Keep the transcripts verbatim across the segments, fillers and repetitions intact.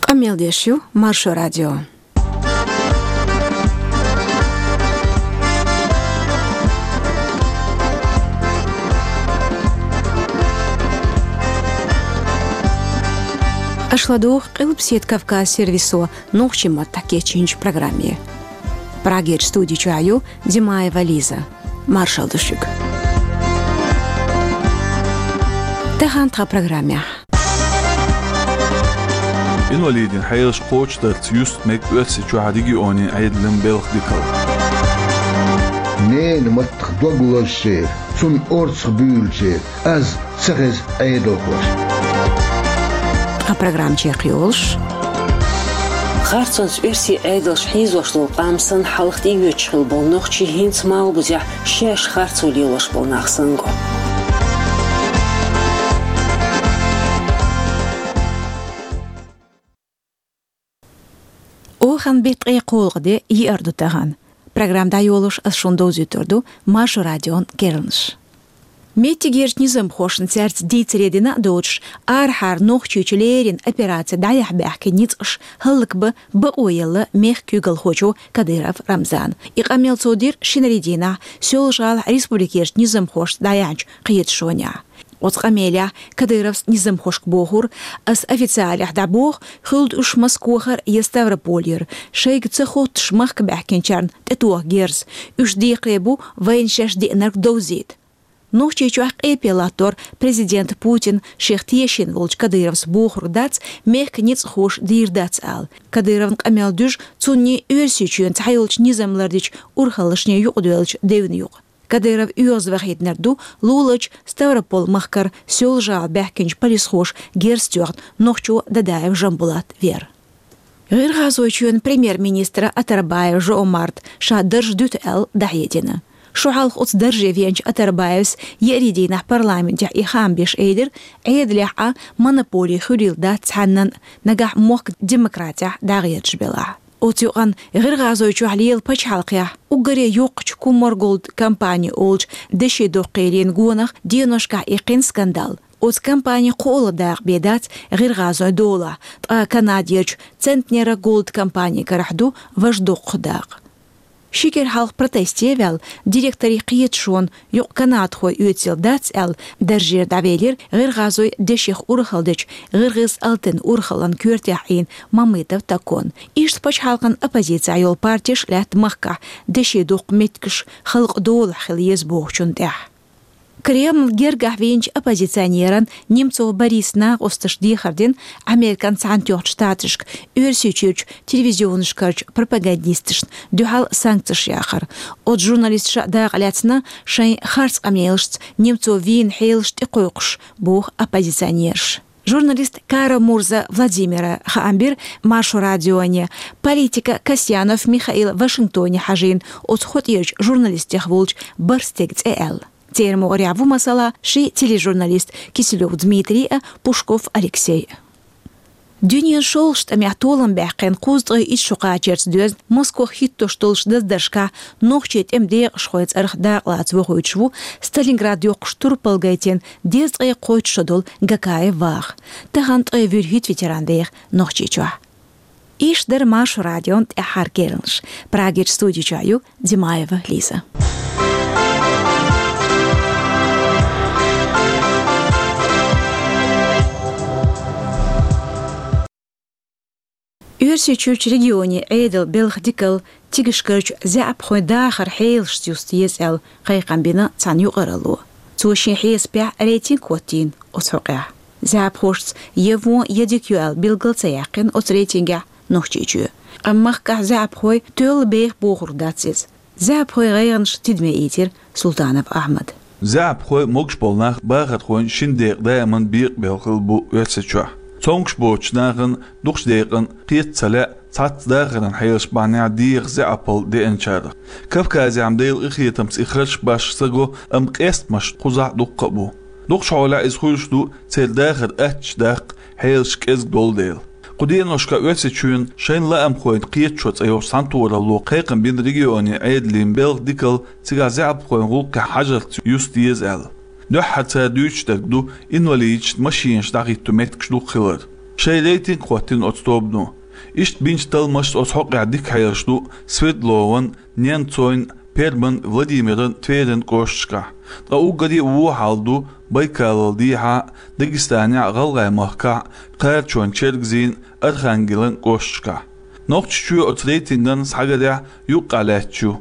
Къамел деш ю Маршо радио. Аша ладугӀу Къилбаседа Кавказ сервисо нохчийн маттахь кечйинчу программе. Прагерчу студи чохь ю Димаева Лиза. Маршалла ду шуьга. Тахана тхан программехь. Инвалидийн хьелаш кхочушдарца юста мега Оьрсийчохь регионийн Ӏедалан белхан дикалла. Ненан маттах дог лозучеран, цунна орцах буьйлучеран аз ца хеза Ӏедалхоша. Тхан программа чекхйолуш. Харцонца оьрсийн Ӏедалш хьийзош долу къам санна хьалха тӀеоьцуш хилла болу нохчий хӀинца малхбузехь шаьш харцо лелош болу нах санна го. Охан беттан ткъе кхоалгӀа де, еара ду тахана. Программа дӀайолош ас шуна довзуьйтур ду Маршо радион керланаш. Меттигерчу низамхошна цаьрца дийцаре дина а доцуш, арахьара Нохчийчу леррина операци дӀаяхьа баьхкина ницкъаш хӀаллакбан бакъо елла мехкан куьйгалхочо Кадыров Рамзана. И къамел цо дира шинарин дийнахь Соьлжа-ГӀалахь республикерчу низамхошца дӀаяьхьначу кхеташонехь. Оцу къамелехь Кадыровс низамхошка бохура: «Ас официалехь дӀабоху, хуьлда уьш Москохара я Ставрополера, шайга ца хоттуш махка баьхкинчарна тӀетоха герз. Уьш декхаре бу вайна шаьш деанарг довзийта». Нохчийчохь къепе латтор президент Путин шех тешийна волчу Кадыровс бохург дац, мехкан ницкъахоша дийр дац ала. Кадыровн къамел дуьжу цунний Оьрсийчоьнан цхьайолчу низам лардечу урхаллашний юкъадоьллачу девна юкъа. Кадыров оьгӀазвахийтинарг ду луларчу Ставрополь-махкара Соьлжа-ГӀала баьхкинчу полисхоша герз тоьхна нохчо Дадаев Жамбулат вер. ГӀиргӀазойчоьнан премьер-министра Атарбаев Жо-Омарта ша дарж дуьту аьлла дӀахьедина. Шо хьалха оцу дарже веанчу Атарбаевс еарин дийнахь парламентехь и хаам беш элира, Ӏедалехь а монополий хуьлийла дац цхьаннан, нагахь мохк демократехь дӀагӀерташ белахь. Оцу юкъанна ГӀиргӀазойчохь лела пачхьалкхехь уггаре йоккхачу Кумар Голд компани олучу деши доккхийрийн гонах деношкахь иккхина скандал. Оцу компани кхоалгӀа дакъа бен дац ГӀиргӀазойн долахь, ткъа Канадерчу Центнера Голд компани карахь ду важа доккха дакъа. Ши кӀира хьалха протесте а ваьлла, директорийн кхеташонан юкъа канадхой оьцийла дац аьлла, даржера дӀавелира ГӀиргӀазойн дешех урхалла дечу ГӀиргӀиз-Алтын урхаллан коьртехь Ӏийна Мамытов Токон. Иштта пачхьалкхан оппозицехь йолу партеш а лаьтта махкахь деши доккху меттигаш халкъан долахь хила еза бохучунна тӀехь. Кремль гергахь вийначу оппозиционеран Немцов Борисан накъосташа дехар дина Американ Цхьаьнатоьхначу Штаташка Оьрсийчуьрчу телевизионашкарчу пропагандисташна дуьхьал санкцеш яхар. Оцу журналисташа дакъа лаьцна шайн харц къамелашца Немцов вийна хьелаш тӀекхойкхуш, боху оппозиционераша. Журналист Кара-Мурза Владимира хаам бира Маршо радионе, политика Касьянов Михаил Вашингтоне хьажийна оцу хотӀерчу журналистех волчу бархӀ стеган цӀе аьлла. Церан могӀарехь ву, масала, ши тележурналист Киселёв Дмитрий а, Пушков Алексей а. Дуьненан шолгӀачу тӀамехь толам баьккхина кхузткъе итт шо кхачарца доьзна Москох хӀиттош долчу даздаршкахь нохчийн тӀеман декъашхойн цӀарах дакъалаца вохуьйтуш ву Сталинград йоккхуш турпал гайтина дезткъе кхойтта шо долу Гакаев Ваха. Тахана ткъе вуьрхӀитта ветеран деха Нохчийчохь. Иштта дара Маршо радион тӀаьххьара керланаш. Прагерчу студи чохь ю Димаева Лиза. Оьрсийчуьрчу регионийн Ӏедалан белхан дикалла цигахь карчу заьӀапхойн дахаран хьелашца юста еза аьлла кхайкхам бина цхьана юкъаралло. Цо шен хьесапехь рейтинг хӀоттийна оцу хьокъехь. ЗаьӀапхошца я вон, я дика ю аьлла билгал ца яьккхина оцу рейтингехь Нохчийчоь. Амма махкахь заьӀапхой тоьлла беха бохург дац иза. ЗаьӀапхойн гӀайгӀанаш тидаме ийцира Султанов Ахьмада. ЗаьӀапхой могуш болу нах бахархойн шина декъан даиман бекъабелла хилла бу Оьрсийчохь. Цомгуш боцучу нахана дукхачу декъана кхета ца лаьа цхьацца дахаран хьелаш бахьанехь деха заьӀапалла деанчарах. Кавказехь-м Делан къинхетамца и харш башха ца го, амма къестамаш кхузахь дуккха а бу. Дукхачу хьолехь иза хуьлуш ду церан дахар аттачу даккха, хьелаш кӀезиг долу дела. Кху деношкахь Оьрсийчоьнан «Шайн лаамхойн кхеташо» цӀе йолчу цхьаьнатохаралло кхайкхам бина регионийн Ӏедалан белхан дикалла цигахь заьӀапхойн гӀуллакхехь хьажарца юста еза аьлла. Дуьххьара цара дуьйцуш дерг ду инвалидашна машинаш дӀахӀитто меттигаш дукха хилар. Шайн рейтинг хӀоттийна оцу тобано. Иштта бинчу талламашца оцу хьокъехь дика хьелаш ду Свердлован, Ненцойн, Перман, Владимиран, Тверин кӀошташкахь. Ткъа уггаре а вон хьал ду Байкалал дехьа, Дагестанехь, ГӀалгӀай махкахь, Кхарачон, Чергазийн, Архангелан кӀошташкахь. Нохчийчоь оцу рейтинган схьагарехь юккъехь лаьтташ ю.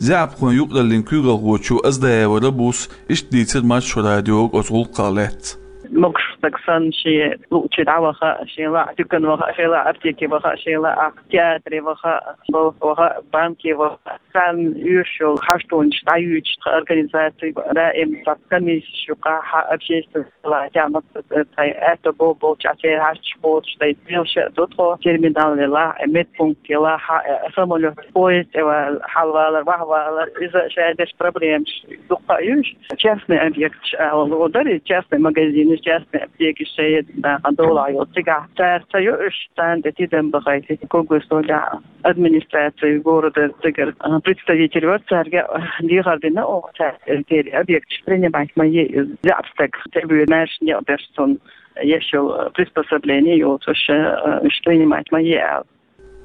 ЗаьӀапхойн юкъараллин куьйгалхочо Аздаева Рабус иштта дийцира Маршо радиога оцу гӀуллакхах лаьцна. Могуш стаг санна шен луъучуьра дӀаваха, шен лаахь дуькане ваха, шен лаахь аптеке ваха, шен лаахь театре ваха, балха ваха, банке ваха. Царна оьшуш йолу хьаштонаш дӀаюьйцуш тхан организаци даим цхьа комиссеш ю, кхахьа общественный делахь тӀехь, тхайн аьтто бо-, болчохь церан хьашташ боцуш дай, белша а ду тхо, терминал елахь, медпункт елахь, самолёт, поезд тӀе вал-, хьалавалар, ваьхьавалар, иза шайн деш проблемаш дуккха а юьйш. Частный объекташ ала ло дара, частный магазинаш, частный аптекаш шайн нахана долахь йолу цигахь. Цара ца йо уьш, царна тӀе тидам бахийта, коггос долчохь администраций города цигара, а, представитель вара, цаьрга, а, дехар дина оха, цара, э, дера объекташ принимать ма е, э, заьӀап стаг, тӀебоьду маьрша некъ берш цунна, еш йолу, э, приспособление йоцуш, э, уьш принимать ма е аьлла.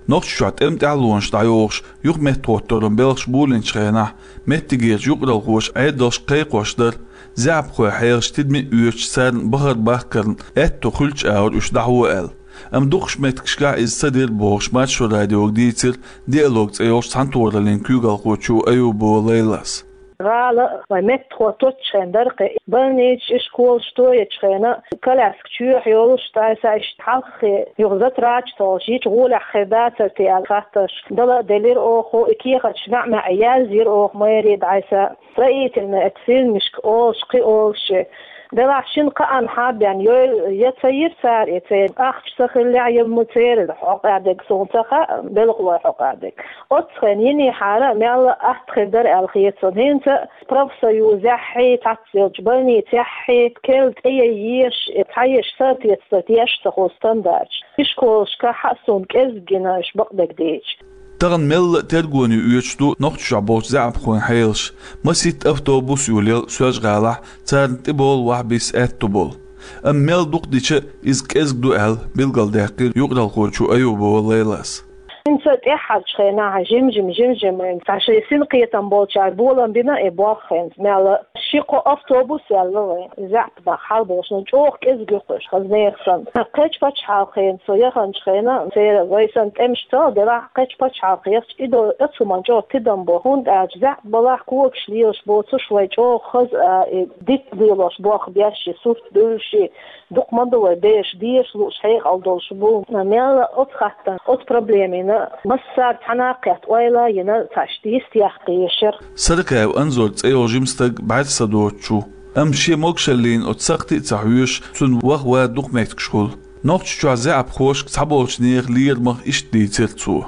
Нохчийчохь тӀеман тӀаьхьалонаш дӀайохуш, юхаметтахӀотторан белхаш болийначу хенахь, меттигерчу юкъаралхоша Ӏедалшка кхайкхош дара, заьӀапхойн хьелаш тидаме а оьцуш, царна бахар бахкарна аьтто хуьлучу агӀор уьш дӀахьо аьлла. Амма дукхачу меттигашкахь иза ца дира бохуш, Маршо радиога дийцира Диалог цӀе йолчу цхьаьнатохараллин куьйгалхочо Аюбова Лайлас. ГӀала вайн меттахӀоттош хенахь дара кхин, больницаш, школаш тоечу хенахь, коляска чоьхьа йолуш, тӀаккха иштта хьалххе юха затрача толуш, йича гӀолехь хир дацара те аьлла хаттарш дала а делира оха, и кехаташ маьӀ-маьӀӀе язйира оха мэре дӀасса. Строительный, это фирмашка олуш, кхин олуш. Делахь шина кхаанна хьа а бен, йойла я ца йира цара, я церан ахча ца хиллехь, я ма церан хьокъехь дерг суна ца хаьа, белхалойн хьокъехь дерг. Оццу хенахь йинехьара мелла а атта хир дара аьлла хета суна. ХӀинца профсоюзехь, цхьацца йолчу больницехь керла тӀеяйеш, цхьаеш соответствовать еш ца хуьлу стандарташ. И школашкахь а суна кӀезиг гина уьш бакъдерг дийцича. Тахана мелла а тергоне оьцуш ду Нохчийчохь болчу заьӀапхойн хьелаш. Масийтта автобус йолаелла Соьлжа-ГӀалахь, царна тӀебовла ваха-бисса аьтто болу. Амма мел дукха дича, иза кӀезиг ду аьлла, билгалдаьккхира юкъаралхочо Аюбова Лайлас. ХӀинца тӀаьххьарчу хенахь жим-жим, жим-жим, цхьа шайн синкхетам болчара болам бина и болх хӀинца мелла а. Ши-кхо автобус яьлла вайн, заьӀап нах хьалаболуш, ну, чӀогӀа кӀезиг ю-кх уьш, хаза нехан санна. Кхечу пачхьалкхена со яханчу хенахь, церан вай санна тӀемаш ца делахь, кхечу пачхьалкхехь и до оцу хӀуманна чӀогӀа тидам бо, хӀунда аьлча заьӀап балахь когаш лелаш боцуш вай чӀогӀа хаза а, и дитт лелош болх беш, и сурт буьллуш, и дукха ма ду вай бераш дезаш лууш, хьекъал долуш бу. Мелла а оцу хаттарна, оцу проблемина массара цхьаьна кхетта ойла а йина, цхьа иштта йист яккха ешара. Саракаев Анзор цӀе йолу жима стаг бӀаьрса доцучу. Амма шен могушаллина оцу сакхти а ца хьоьжуш, цуьнан ваха-ван дукха меттигаш хуьлу. Нохчийчохь заьӀапхошка цхьаболчу нехан лерамах иштта дийцира цо.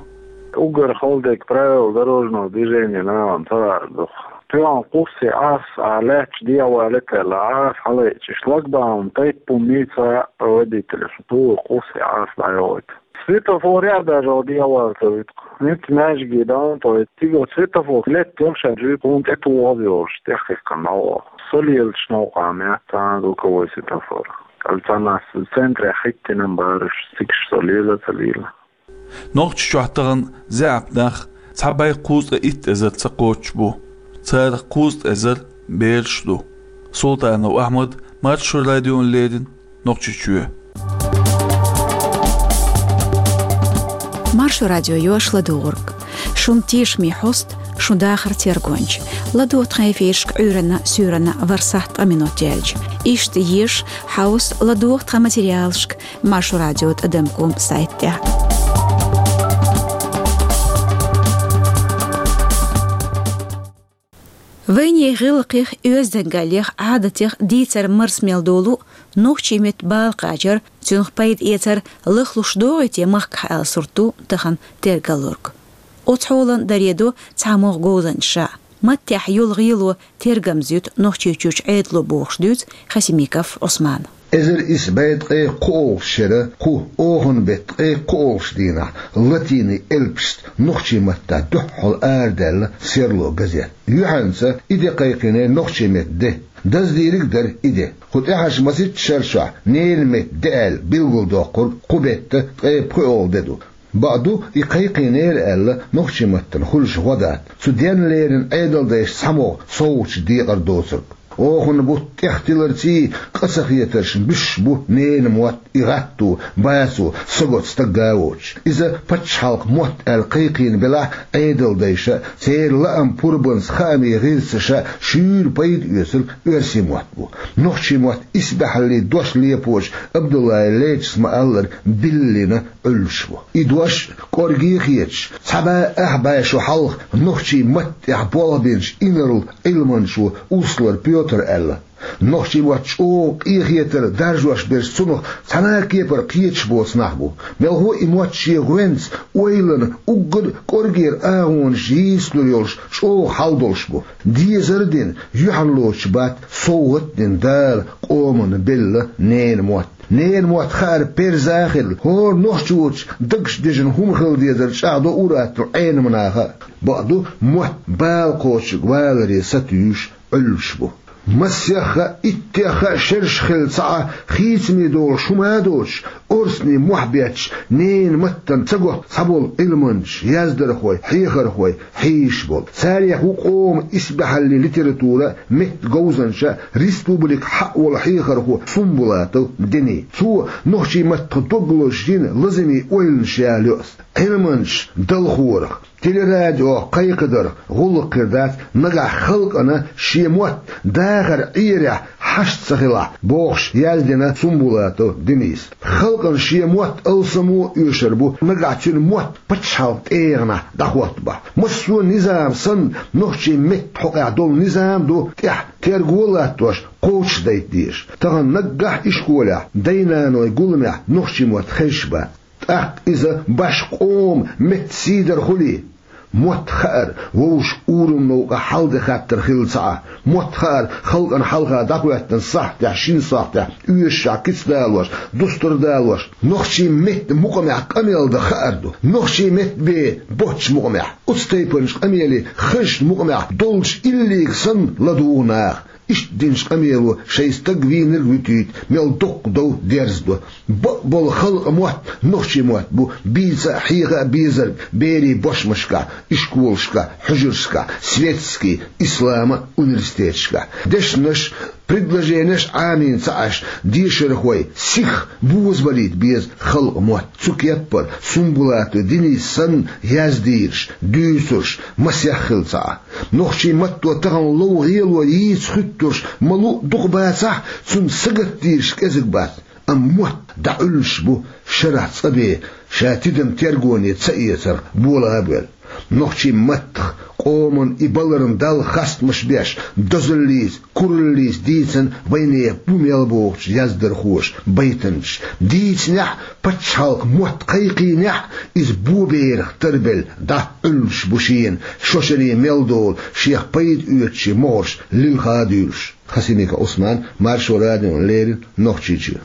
Уггар хала дерг правила дорожного движения нахана ца лаар ду. Тоьхна кхузза Ӏаса а лаьтташ дехьавалийта аьлла, Ӏаса хьалаайча, шлагбаум тайпа хӀума йийца а водителаша, тугӀу кхузза Ӏаса дӀайохуьйту. Светофорехь а даже дехьавала ца вуьту. ХӀинца маьждиге дан тӀе вуьту. Цига светофор летта йолуш а жуьйта хӀума тӀе тухуш йолуш, тӀехь хихкана дӀавоьду. Со лелачу новкъа меттахь цхьана звуковой светофор. Кхалланаш центрехь хӀиттина бараш, цигахь со лела а ца лела. Нохчийчохь тахана заьӀап нах цхьа бӀе кхузткъе итт эзар ца кхоччуш бу. Царах кхузткъе эзар бераш ду. Султанов Ахьмад, Маршо радиона леррина, Нохчийчоь. Маршо радио ю аш ладугӀург. Шун тешаме хьоста, шун дахар тергонча. ЛадогӀа тхан эфирашка Ӏуьйранна, суьйранна ворхӀ сахьт ткъа минот яьлча. Иштта еша, хьовса, ладогӀа тхан материалашка Маршо радио тӀадам ком сайта тӀехь. Вайнехан гӀиллакхех, оьздангаллех, Ӏадатех дийцар марза мел долу, нохчийн меттан бала кхачар, цуьнах пайда эцар лахлуш догӀий те махкахь аьлла сурт ду тахана тергаллург. Оцу хьолан даре до цхьамогӀа говзанчаша. Маттехь йолу гӀело тергамза юьту Нохчийчуьрчу Ӏедало бохуш дуьйцу Хасимиков Ӏусмана. Эзар исс бӀе ткъе кхоалгӀа шера кху оханан бетта ткъе кхоалгӀача дийнахь латинийн элпашца нохчийн маттахь дуьххьал арадаьлла «Серло» газет. Юьхьанца и де кхайкхийнера нохчийн меттан де. Даздийриг а дара и де. Кху тӀаьхьарчу масийтта шарашкахь ненан меттан де аьлла билгалдоккхург кху бетта ткъе пхоьалгӀа де ду. Бакъду, и кхайкхийнера аьлла, нохчийн маттана хуьлуш гӀо дац. Цу денна леррина Ӏедалдайша цхьамогӀа совгӀаташ декъар доцург. Оханан бутт тӀех тиларций, къа ца хетаршна буьсуш бу ненан мотт, и гӀатто, бацо, сагота стаг а воцуш. Иза пачхьалкхан мотт аьлла кхайкхийна белахь а, Ӏедалдайша, церан лаам пурбанца хаамийн гӀирсаша шуьйра пайда оьцург оьрсийн мотт бу. Нохчийн мотт исбаьхьаллин дош лепочу Абдуллаев Лечис ма-аллара, биллина Ӏуьллуш бу. И дош кӀорге а хеташ, цхьа бӀе ах бӀе шо хьалха нохчийн матта тӀехь болх бинчу инарла Ӏилманчо Услар Пётра аьлла: «Нохчийн мотт чӀогӀа къехетар даржош берш цунах цхьана а кепара кхеташ боцу нах бу. Мелхо а и мотт шен гӀоьнца, ойлана, уггар а кӀоргера агӀонаш йийцалур йолуш, чӀогӀа хьал долуш бу. Дезар а дина, юьхьарлоцуш бац, совгӀат а дина Дала къомана белла ненан мотт. Ненан мотт хаар перза а хилла, хӀора нохчочу дагчу дежан хӀума хила дезар чӀагӀдо ур-атталла Ӏеламнаха а. Бакъду, мотт бала кхочург валаре сатуьйсуш Ӏуьллуш бу». Масех а, иттех а шераш хилла ца Ӏа, хийцаме долуш хӀума а доцуш, орцане мохь бетташ, ненан маттана ца готта цхьаболу Ӏилманчаш, яздархой, хьехархой хьийзаш болу. Царех ву къоман исбаьхьаллин литература, меттан говзанча, республикан хьаъ волу хьехархо Сумбулатов Дени. Цо нохчийн маттах дог лозуш йина лазамийн ойланаш яла йоӀ: «Ӏилманчаш далхорах, телерадиох кхайкхадарх гӀуллакх хир дац, нагахь халкъана шен мотт дахар Ӏерехь хьашт ца хилахь», – бохуш, яздина Сумбулатов Дениса. Халкъана шен мотт алсамо а оьшур бу, нагахь цуьнан мотт пачхьалкхан тӀегӀанехь дӀахӀоттабахь. Массо а низам санна, нохчийн меттан хьокъехь долу низам а ду тӀехь терго а латтош, кхочушдайта дезаш. Тахана наггахь ишколехь, дай-наной гуламехь нохчийн мотт хезаш бац. ТӀаккха иза башха къоман меттан сий дар хуьлий? Мотт хаар вовшашка ураман новкъа хьал де хаттар хилла ца Ӏа. Мотт хаар халкъана хьалха дӀахӀоьттина сахьтехь, шина сахьтехь оьшушехь кицдалош, дустар далош, нохчийн меттан мукъамехь къамел дан хаар ду. Нохчийн меттан бен боцчу мукъамехь, оцу тайпанчу къамеле хазачу мукъамехь долчу иллига санна ладугӀу наха. Иштта динчу къамело шайн стаг вийнарг а вуьтуьйту, мел дуккха дов дерзадо. Бакъболу халкъан мотт нохчийн мотт бу, бийца а, хьеха а безарг берийн бошмашкахь, ишколашкахь, хьуьжаршкахь, светский, исламан университеташкахь. Дешнаш, предложенеш Ӏамийна ца Ӏаш, дешархой сиха бозабалийта беза халкъан мотт. Цу кеппара Сумбулатов Денис санна яздийраш, дуьйцурш масех хилла ца Ӏа. Нохчийн матто тахана лов гӀело йийца хӀуьттурш ма-луъу дукха бацахь, цунна сагатдийраш кӀезиг бац. Амма мотт дӀаӀуьллуш бу шарахь цӀа бен, ша тидам тергоне ца эцарх бола а боьлла. Нохчийн маттах, къоман и баларна Далла хастамаш беш, дозаллица, кураллица дийцина вайнехан бу мел бохучу яздархоша байтанаш. Дийцинехь а, пачхьалкхан мотт кхайкхийнехь а, иза бо берах тарбелла дӀа Ӏуьллуш бу шена, шо шаре мел долу, шех пайда оьцучийн могӀарш лилха а дуьйлуш. Хасимиков Ӏусман, Маршо радиона леррина, Нохчийчоь.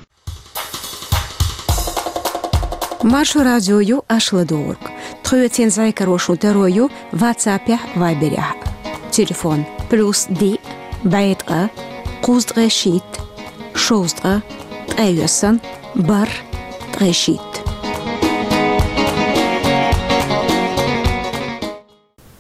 Маршо радио ю аша ладугӀург. Тхоьца зӀе каро шун таро ю ватсапехь, вайберехь. Телефон: плюс диъ, бӀе ткъа, кхузткъе шийтта, шовзткъа, ткъе йоьсна, бархӀ, ткъе шийтта.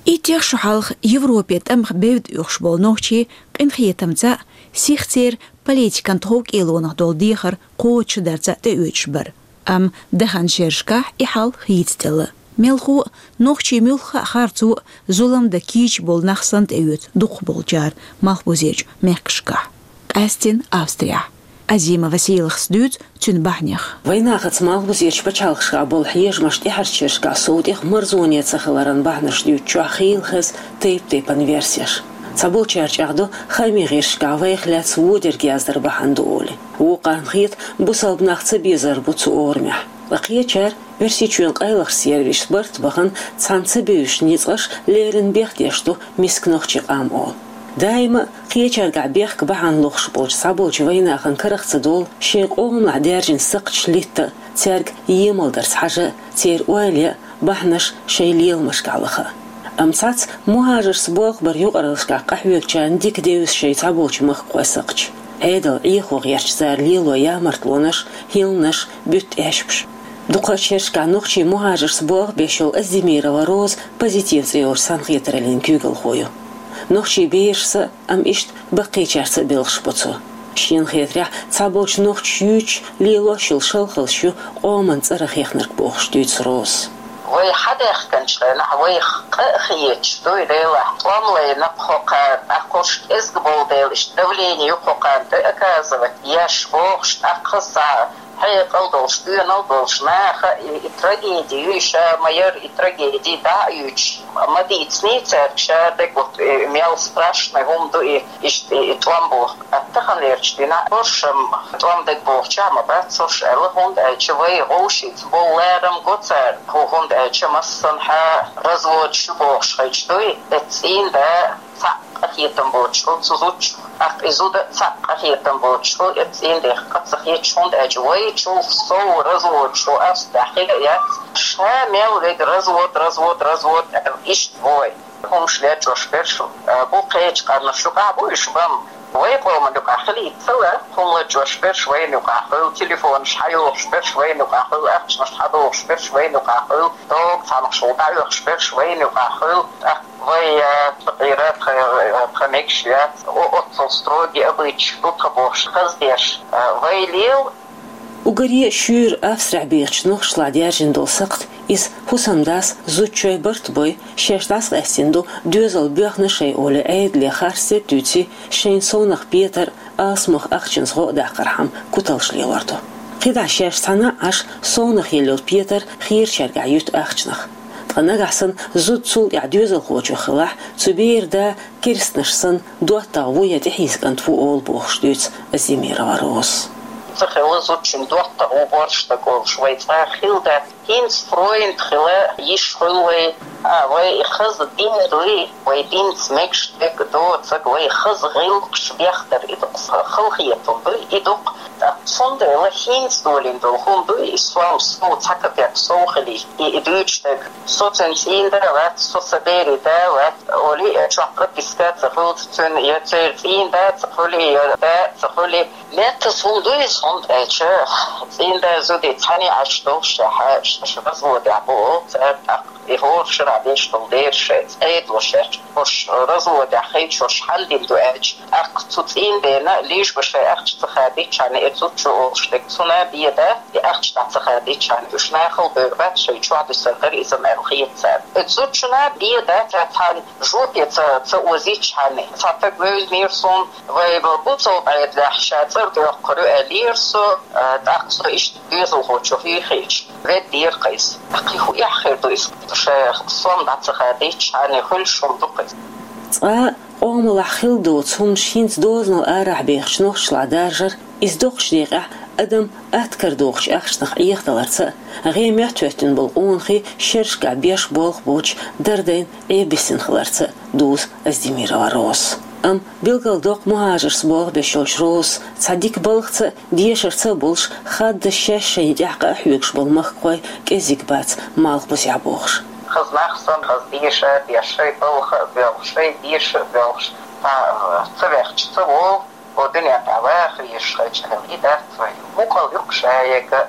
Иттех шо хьалха Европе тӀамах бевдда оьхуш болу нохчий къинхетамца а, сихцера политикан тхов кӀелонах долу дехар кхочушдарца а тӀеоьцуш бара. Амма даханчу шерашкахь и хьал хийцаделла. Мелхо а, нохчий муьлхха а харцо а, зулам дан кийча болу нах санна тӀеоьцу дукхахболчара малхбузерчу мехкашкахь, къаьсттина Австрехь. Азимова Селахас дуьйцу цуьнан бахьанех. Вайнахаца малхбузерчу пачхьалкхашкахь болу хьежамаш тӀаьхьарчу шерашкахь сов тӀех марзоне ца хиларан бахьанаш дуьйцучохь хийла хеза тайп-тайпана версеш. Цхьаболчара чӀагӀдо, хаамийн гӀирсашкахь вайх лаьцна вон дерг яздар бахьана ду олий. Вукхарна хета, бусалба нах ца безар бу цу орамехь. Ткъа кхечара, Оьрсийчоьнан къайлахчу сервисаша барт бахана, цхьана ца бевзачу ницкъаша леррина бехдеш ду миска нохчийн къам олу. Даима а кхечаргахь бехк бахьана лохуш болчу цхьаболчу вайнахана карах ца долу шайн къомалахь даьржина сакхташ литта а, цаьрга емал дарца хьажа а, церан ойла ян а, бахьанаш шайн леламашкахь лаха а. Амма цхьацца мухӀажаршца болх баран юкъараллашкахь къахьоьгучарна дика девза шайн цхьаболчу махкахойн сакхташ. Ӏедал Ӏехо гӀерташ цара лело ямартлонаш, хӀилланаш, буьтту эшпаш. Дукха шерашкахь нохчийн мухӀажаршца болх беш йолу Оздемирова Роза «Позитив» цӀе йолчу цхьаьнакхетараллин куьйгалхо ю. Нохчийн берашца а, амма иштта баккхийчаьрца а белхаш бо цо. Шена хетарехь, цхьаболчу нохчаша юьйцуш, лелош йолу шалхаллаш ю къоман цӀарах хехнарг бохуш дуьйцу Розас. Вай хьадаьхкинчу хенахь, вайх къа а хеташ дуй, делахь, тӀом лайна кху кхана, тӀаккха уьш кӀезиг болу дела, иштта давление ю кху кхана тӀе оказывать еш бохуш, тӀаккха хаза хьекъал долуш, доьналла долуш наха и, и трагеди ю, ша ма яра и трагеди дӀа а юьйцуш, ма дийцина цаьрга ша дерг, вот, и мел страшный хӀума ду и, иштта и, и тӀом боху. Ткъа таханлерчу дийнахь уьш-м тӀом дерг бохучохь ма бац уьш аьлла, хӀунда аьлча вай вовшашца болу ларам го цара, хӀу-, хӀунда аьлча массанхьа разводаш ю бохуш хилча дуй, эццу цӀийнда цхьаъ къахетам боцуш хуьлу цу зудчух, тӀаккха и зуда цхьаъ къахетам боцуш хуьлу, эццу цӀийндех къа ца хеташ, хӀунда аьлча вайчул сов разводаш ву ас тӀехь хила а яц. Ша мел вега развод, развод, развод аьлла, иштта вой. ХӀумаш лечкъош берш, а, бу кхечу къаьмнаш юкъахь бу уьш бан. Вай къоман юкъахь хилийта ца лаьа, хӀума лечкъош берш вайна юкъахь хуьлу, телефонаш хьайохуш берш вайна юкъахь хуьлу, ахчанаш хьадохуш берш вайна юкъахь хуьлу, догу цхьамхаш ву дӀаоьхуш берш вайна юкъахь хуьлу. ТӀаккха вай, а, тхан къира, тхан, а, тхан мегаш яц, о-, оццул строгий обычай ду тхан бохуш, хаздеш, а, вай лела. Уггаре а шуьйра Австрехь бехачу нохчашлахь даьржина долу сакхт, иза хӀусамдас зудчойн барт бой, шаьш дӀасакъаьстина ду доьзал боьхна шайн олий Ӏедале харцдерг дуьйций, шайна совнаха петар, алсамох ахчанца гӀо а даккхархьама куталш лелор ду. КхидӀа шаьш цхьаьна а Ӏаш, совнаха елла йолу петар хийрачаьргахь юьту ахчанах. Ткъа нагахь санна зуда цул тӀаьхьа доьзалхочух хилахь, цу беран да керстанаш санна доттагӀа ву я тӀехьийза кӀант ву олу бохуш дуьйцу Оздемирова Розас. Ца хилла зудчун доттагӀа ву борш стаг олуш вай цкъа а хилла дац. ХӀинца фронд хила йиш хуьлу вай, а, вай и хаза дин дуй, вай динца мегаш дерг доцург, вай хаза гӀиллакхаш бехдар и ду-кх, халахетар дуй и ду-кх. ТӀаккха цундела хӀинца долийна долу хӀума дуй, и сом сов цхьа капек сов хилий, и, и дуьйцуш дерг. Со цуьнан цӀийнда вац, со сан берийн да вац, олий, чохь прописка а ца хуьлу цуьнан, я церан цӀийнда а ца хуьлий, я да а ца хуьлий. Меттаза хӀума ду иза, хӀунда аьлча цӀийнда зуда цхьаьна Ӏаш долуш шаьш, шаьш разводехь бу олу цара, тӀаккха и хӀора шарахь деш долу дера шайн цӀе а долуш шаьш, уьш разводехь хилча уьш хьан дина ду аьлча, тӀаккха цу цӀийндена лиш бан шайн ахча ца хадийчхьана, и зудчо олуш дерг цунна бен дац, и ахча дӀа ца хадийчхьана, уьш нахала бевр бац, шайн чохь дуьсур дара иза аьлла хета царна. И зудчунна бен дац, цхьана жопе ца, ца озийчхьана, цхьа стаг вевзинера суна, вай бу цо Ӏедалехь, ша цӀера доьккхур ю аьллера со, а, тӀаккха со иштта доьзалхочух хьийхийча, веддера-кх иза. Кхин хӀун эхь хир ду иза, ша сом дӀа ца хадийчхьана, хуьлуш хӀума ду-кх иза. Цкъа а къомалахь хила доцу хӀуманаш хӀинца дозанал арахь бехачу нохчашлахь даржар, иза доккхачу декъехь адам атта кара дохучу ахчанах Ӏехадаларца а, гӀен моьттуьйттина болу къонахий шерашкахь беш болх боцуш дардайна Ӏебисина хиларца а дузу Оздемирова Розас. Амма билгалдоккху мухӀажаршца болх беш йолчу Розас цхьа дика балхаца а, дешарца а болуш, хаддаза шаьш шайна тӀехь къа а хьоьгуш болу махкахой кӀеззиг бац Малхбузехь бохуш. Хаза нах санна, хаза деша а деш, шайн балха а боьлхуш, шайн деша а боьлхуш, цхьа, ца вехча ца волу, хӀо дуьнен тӀехь ваха везаш хилча, и дац вай. Мукъал ю-кх ша яга,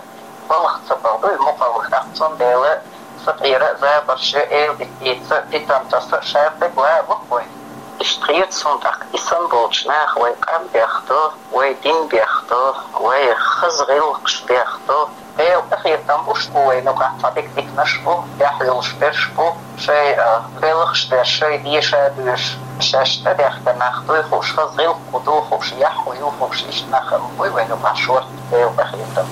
балха ца бала ду и мукъал, тӀаккха цундела сан къера а забарш я, эладитица а, питам таса а, ша стаг ван а ву-кх вай. Иштта хета суна тӀаккха, и санна болчу наха вай къам бехадо, вай дин бехадо, вай хаза гӀиллакхаш бехадо. Делан къахетам бу, уьш бу вайна юкъахь цхьа дика диканаш бу, тӀехь йолуш берш бу, шайн, а, белхаш беш, шайн деша а доьшуш, шаьш тӀедехка нах дуй хууш, хаза гӀиллакх хӀун ду хууш, яхь хӀун ю хууш, иштта нах а буй вайна юкъахь шорта, Делан къахетам.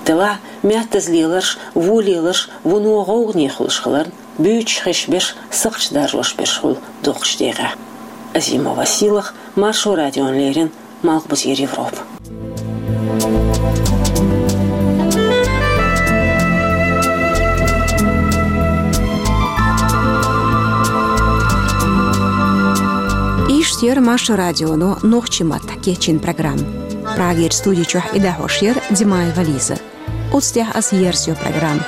Делахь, меттаза леларш, вон леларш, вуно гӀовгӀане хуьлуш хиларна, буьйцуш хезаш берш сакхташ даржош берш хуьлу дукхачу декъехь. Азимова Сийлаха, Маршо радиона леррина, Малхбузера Европа. Иштта Иштта яр Маршо радионо нохчийн маттахь кечйина программа. Прагера студи чохь и дӀахьош яр Димаева Лиза. Оцу тӀехь ас ерзайо программа.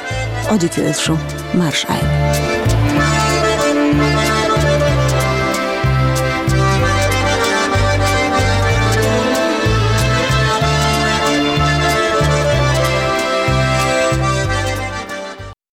Ӏодика йойла шун, марша Ӏайла.